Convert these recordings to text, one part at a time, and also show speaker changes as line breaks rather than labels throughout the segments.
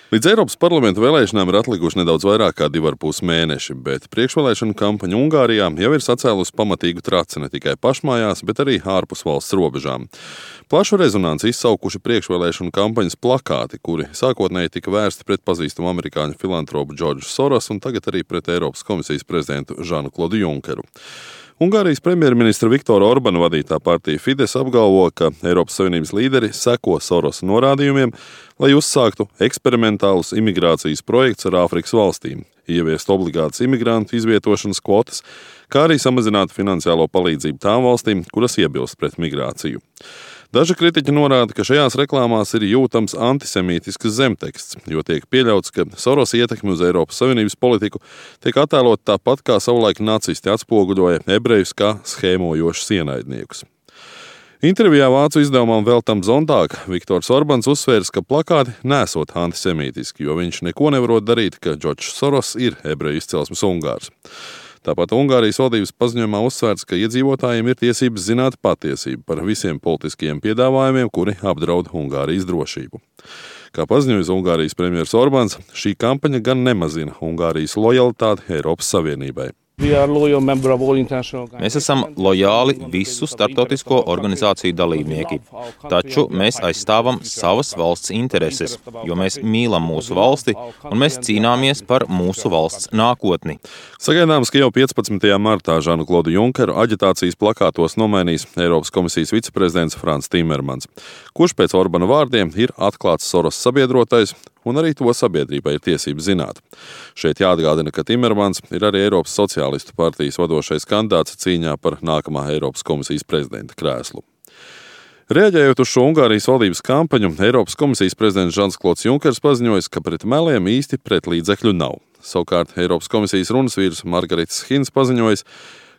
Līdz Eiropas parlamenta vēlēšanām ir atlikuši nedaudz vairāk kā 2,5 mēneši, bet priekšvēlēšana kampaņa Ungārijā jau ir sacēlusi pamatīgu traci ne tikai pašmājās, bet arī ārpus valsts robežām. Plašu rezonanci izsaukuši priekšvēlēšanu kampaņas plakāti, kuri sākotnēji tika vērsti pret pazīstamu amerikāņu filantropu Džordžu Sorosu un tagad arī pret Eiropas komisijas prezidentu Žanu-Klodu Junkeru. Ungārijas premjerministra Viktora Orbana vadītā partija Fides apgalvo, ka Eiropas Savienības līderi seko Sorosa norādījumiem, lai uzsāktu eksperimentālus imigrācijas projekts ar Āfrikas valstīm, ieviest obligātas imigrantu izvietošanas kvotas, kā arī samazināt finansiālo palīdzību tām valstīm, kuras iebilst pret migrāciju. Daži kritiķi norāda, ka šajās reklāmās ir jūtams antisemītisks zemteksts, jo tiek pieļauts, ka Sorosa ietekme uz Eiropas Savienības politiku tiek attēlot tāpat, kā savulaik nacisti atspoguļoja ebrejus kā schēmojošus ienaidniekus. Intervijā vācu izdevumam Veltam Zontāg Viktors Orbans uzsvērs, ka plakāti nesot antisemītiski, jo viņš neko nevarot darīt, ka Džordžs Soros ir ebreju izcelsmes ungārs. Tāpat Ungārijas valdības paziņojumā uzsvērts, ka iedzīvotājiem ir tiesības zināt patiesību par visiem politiskajiem piedāvājumiem, kuri apdraud Ungārijas drošību. Kā paziņoja Ungārijas premjers Orbans, šī kampaņa gan nemazina Ungārijas lojalitāti Eiropas Savienībai.
Mēs esam lojāli visu starptautisko organizāciju dalībnieki, taču mēs aizstāvam savas valsts intereses, jo mēs mīlam mūsu valsti un mēs cīnāmies par mūsu valsts nākotni.
Sagaidāms, ka jau 15. martā Žanu-Klodu Junkeru aģitācijas plakātos nomainīs Eiropas komisijas viceprezidents Frans Timermans, kurš pēc Orbana vārdiem ir atklāts Soros sabiedrotais, un arī to sabiedrībai ir tiesības zināt. Šeit jāatgādina, ka Timermans ir arī Eiropas sociālistu partijas vadošais kandidāts cīņā par nākamā Eiropas komisijas prezidenta krēslu. Reaģējot uz šo Ungārijas valdības kampaņu, Eiropas komisijas prezidents Žans-Klods Junkers paziņoja, ka pret meliem īsti pret līdzekļu nav. Savukārt Eiropas komisijas runas vīrs Margaritis Hins paziņoja,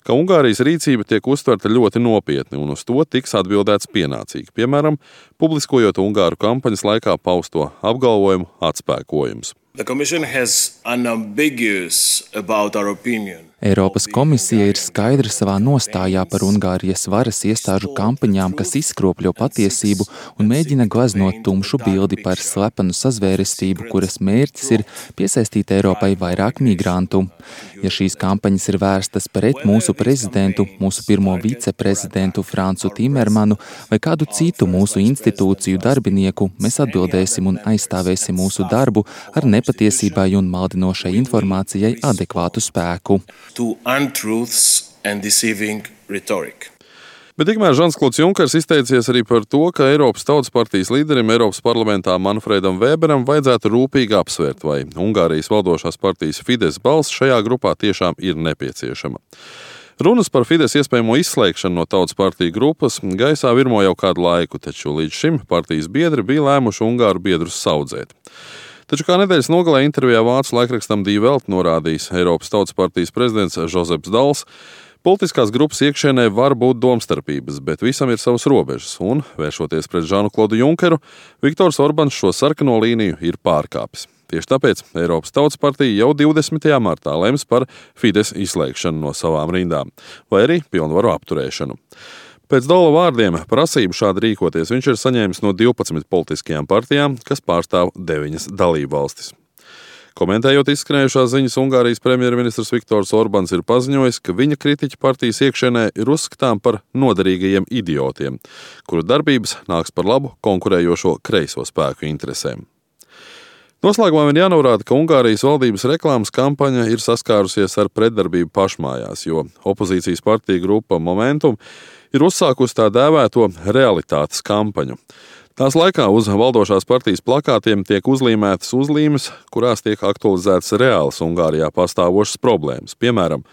ka Ungārijas rīcība tiek uztverta ļoti nopietni un uz to tiks atbildēts pienācīgi, piemēram, publiskojot Ungāru kampaņas laikā pausto apgalvojumu atspēkojums.
Eiropas komisija ir skaidra savā nostājā par Ungārijas varas iestāžu kampaņām, kas izkropļo patiesību un mēģina gleznot tumšu bildi par slepenu sazvērestību, kuras mērķis ir piesaistīt Eiropai vairāk migrantu. Ja šīs kampaņas ir vērstas pret mūsu prezidentu, mūsu pirmo viceprezidentu Francu Timermanu vai kādu citu mūsu institūciju darbinieku, mēs atbildēsim un aizstāvēsim mūsu darbu ar nepatiesībai un maldinošai informācijai adekvātu spēku.
Bet tikmēr Žans-Klods Junkers izteicies arī par to, ka Eiropas Tautas partijas līderim Eiropas parlamentā Manfredam Weberam vajadzētu rūpīgi apsvērt, vai Ungārijas valdošās partijas Fides balss šajā grupā tiešām ir nepieciešama. Runas par Fides iespējamo izslēgšanu no Tautas partiju grupas gaisā virmo jau kādu laiku, taču līdz šim partijas biedri bija lēmuši Ungāru biedrus saudzēt. Taču kā nedēļas nogalē intervijā vācu laikrakstam Die Welt norādījis Eiropas Tautas partijas prezidents Žozeps Dals, politiskās grupas iekšienē var būt domstarpības, bet visam ir savas robežas, un, vēršoties pret Žanu-Klodu Junkeru, Viktors Orbans šo sarkano līniju ir pārkāpis. Tieši tāpēc Eiropas Tautas partija jau 20. martā lems par Fides izslēgšanu no savām rindām, vai arī pilnvaru apturēšanu. Pēc Dala vārdiem prasību šādi rīkoties viņš ir saņēmis no 12 politiskajām partijām, kas pārstāv 9 dalību valstis. Komentējot izskanējušās ziņas, Ungārijas premjerministrs Viktors Orbans ir paziņojis, ka viņa kritiķi partijas iekšienē ir uzskatām par noderīgajiem idiotiem, kuru darbības nāks par labu konkurējošo kreiso spēku interesēm. Noslēgumā vien jānorāda, ka Ungārijas valdības reklāmas kampaņa ir saskārusies ar pretdarbību pašmājās, jo opozīcijas partija grupa Momentum ir uzsākusi tā dēvēto realitātes kampaņu. Tās laikā uz valdošās partijas plakātiem tiek uzlīmētas uzlīmes, kurās tiek aktualizētas reālas Ungārijā pastāvošas problēmas. Piemēram,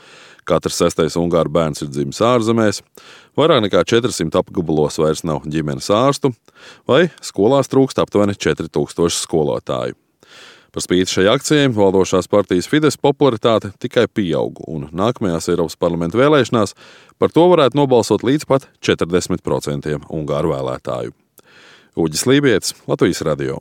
katrs 6. ungāru bērns ir dzimis ārzemēs, vairāk nekā 400 apgabalos vairs nav ģimenes ārstu, vai skolās trūkst aptuveni 4000 skolotāju. Par spīti šai akcijai valdošās partijas Fides popularitāte tikai pieaug, un nākamajās Eiropas parlamenta vēlēšanās par to varētu nobalsot līdz pat 40% ungāru vēlētāju. Uģis Lībietis, Latvijas radio.